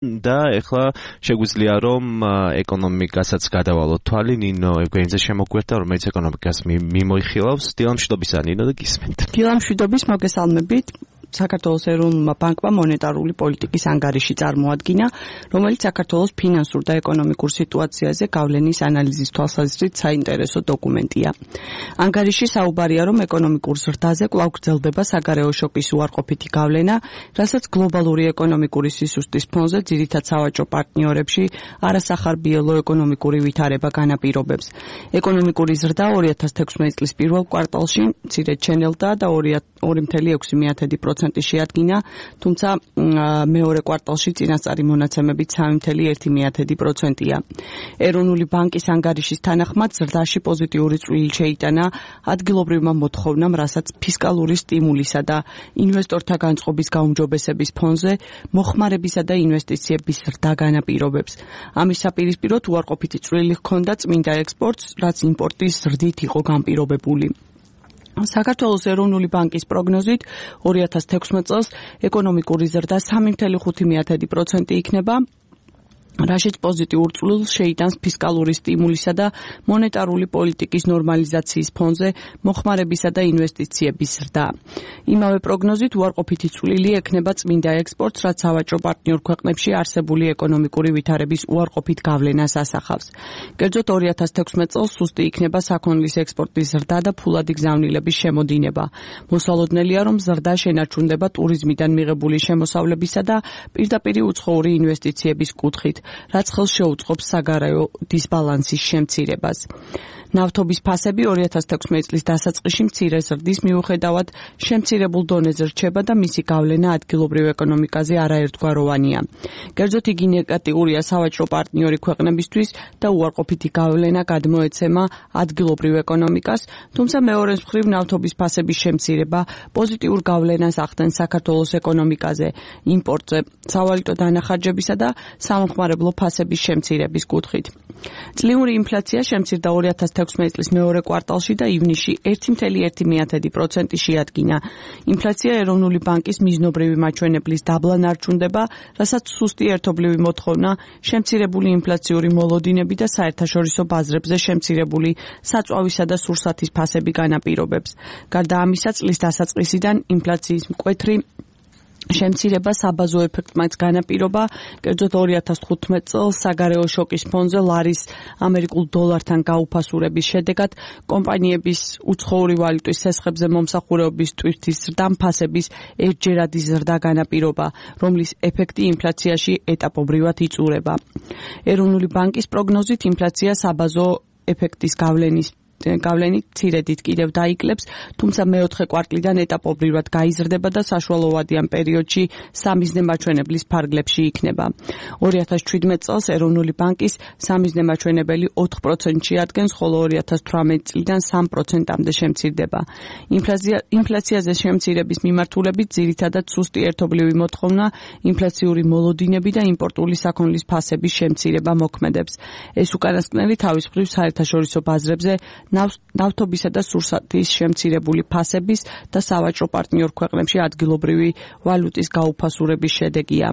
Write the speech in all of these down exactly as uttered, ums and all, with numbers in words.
და ეხლა შეგვიძლია რომ ეკონომიკასაც გადავალოთ თვალი ნინო ეგვენიძე შემოგვერთა რომელიც ეკონომიკას მიმოიხილავს დილამშვიდობისა ნინო და გისმენთ. დილამშვიდობის მოგესალმებით. საქართველოს ეროვნულმა ბანკმა მონეტარული პოლიტიკის ანგარიში წარმოადგინა, რომელიც საქართველოს ფინანსურ და ეკონომიკურ სიტუაციაზე გავლენის ანალიზის თვალსაზრისით საინტერესო დოკუმენტია. ანგარიში საუბარია, რომ ეკონომიკურ ზრდაზე კვლავ გრძელდება საგარეო შოკის უარყოფითი გავლენა, რასაც გლობალური ეკონომიკური სისუსტის ფონზე ძირითად სავაჭრო პარტნიორებში არასახარბიელო ეკონომიკური ვითარება განაპირობებს. ეკონომიკური ზრდა ორი ათას თექვსმეტი წლის პირველ კვარტალში მცირედ ჩენელდა და ორი წელი ექვსი პროცენტი შეადგინა, თუმცა მეორე კვარტალში წინასწარი მონაცემებით სამი წელი ერთი პროცენტია. ეროვნული ბანკის ანგარიშის თანახმად ზრდაში პოზიტიური წვლილი შეიტანა ადგილობრივმა მოთხოვნამ, რასაც ფისკალური სტიმულისა და ინვესტორთა განწყობის გაუმჯობესების ფონზე მოხმარებისა და ინვესტიციების ზრდა განაპირობებს. ამის საპირისპიროდ უარყოფითი წვლილი ჰქონდა წმინდა ექსპორტს, რაც იმპორტის ზრდით იყო განპირობებული. საქართველოს ეროვნული ბანკის პროგნოზით ორი ათას თექვსმეტ წელს ეკონომიკური ზრდა სამი წელი ხუთი პროცენტი იქნება, რაშიც პოზიტიურ წვლილს შეიტანს ფისკალური სტიმულისა და მონეტარული პოლიტიკის ნორმალიზაციის ფონზე მოხმარებისა და ინვესტიციების ზრდა. იმავე პროგნოზით უარყოფითი წვლილი ექნება წმინდა ექსპორტს, რაც სავაჭრო პარტნიორ ქვეყნებში არსებული ეკონომიკური ვითარების უარყოფით გავლენას ასახავს. კერძოდ ორი ათას თექვსმეტ წელს სუსტი იქნება საქონლის ექსპორტის ზრდა და ფულადი გზავნილების შემოდინება. მოსალოდნელია, რომ ზრდა შენარჩუნდება ტურიზმიდან მიღებული შემოსავლებისა და პირდაპირი უცხოური ინვესტიციების კუთხით, რაც ხელს შეუწყობს საგარეო დისბალანსის შემცირებას. ნავთობის ფასები ორი ათას თექვსმეტი წლის დასაწყისში მცირე ზრდის მიუხედავად შემცირებულ დონეზე რჩება და მისი გავლენა ადგილობრივ ეკონომიკაზე არაერთგვაროვანია. კერძოდ იგი ნეგატიურია სავაჭრო პარტნიორი ქვეყნებისთვის და უარყოფითი გავლენა გადმოეცემა ადგილობრივ ეკონომიკას, თუმცა მეორე მხრივ ნავთობის ფასების შემცირება პოზიტიურ გავლენას ახდენს საქართველოს ეკონომიკაზე, იმპორტზე, სავალუტო დანახარჯებისა და სამხმარებლო ფასების შემცირების კუთხით. წლიური ინფლაცია შემცირდა ორი ათას თექვსმეტი წლის მეორე კვარტალში და ივნისში ერთი წელი ერთი პროცენტი შეადგინა. ინფლაცია ეროვნული ბანკის მიზნობრივი მაჩვენებლის დაბლა ნარჩუნდება, რასაც სუსტი ერთობლივი მოთხოვნა, შემცირებული ინფლაციური მოლოდინები და საერთაშორისო ბაზრებზე შემცირებული საწვავისა და სურსათის ფასები განაპირობებს. გარდა ამისა, წლის დასაწყისიდან ინფლაციის მკვეთრი შემცირება საბაზო ეფექტმაც განაპირობა, კერძოდ ორი ათას თხუთმეტ წელს საგარეო შოკის ფონზე ლარის ამერიკულ დოლართან გაუფასურების შედეგად კომპანიების უცხოური ვალუტის სესხებზე მომსახურების ტვირთის ზრდამ ფასების ერთჯერადი ზრდა განაპირობა, რომლის ეფექტი ინფლაციაში ეტაპობრივად იწურება. ეროვნული ბანკის პროგნოზით ინფლაცია საბაზო ეფექტის გავლენის გავლენით მცირედით კიდევ დაიკლებს, თუმცა მეოთხე კვარტლიდან ეტაპობრივად გაიზრდება და საშუალოვადიან პერიოდში სამიზნე მაჩვენებლის ფარგლებში იქნება. ორი ათას ჩვიდმეტ წელს ეროვნული ბანკის სამიზნე მაჩვენებელი ოთხ პროცენტში ადგენს, ხოლო ორი ათას თვრამეტ წლიდან სამ პროცენტამდე შემცირდება. ინფლაცია ინფლაციაზე შემცირების მიმართულებით ძირითადად სუსტი ერთობლივი მოთხოვნა, ინფლაციური მოლოდინები და იმპორტული საქონლის ფასების შემცირება მოქმედებს. ეს უკანასკნელი თავის მხრივ საერთაშორისო ბაზრებზე ნავთობისა და სურსათის შემცირებული ფასების და სავაჭრო პარტნიორ ქვეყნებში ადგილობრივი ვალუტის გაუფასურების შედეგია.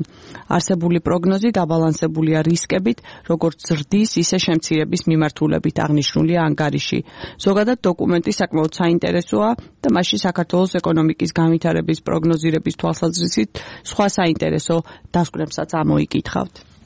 არსებული პროგნოზი დაბალანსებულია რისკებით, როგორც ზრდის, ისე შემცირების მიმართულებით აღნიშნულია ანგარიში. ზოგადად დოკუმენტი საკმაოდ საინტერესოა და მასში საქართველოს ეკონომიკის განვითარების პროგნოზირების თვალსაზრისით სხვა საინტერესო დასკვნებსაც ამოიკითხავთ.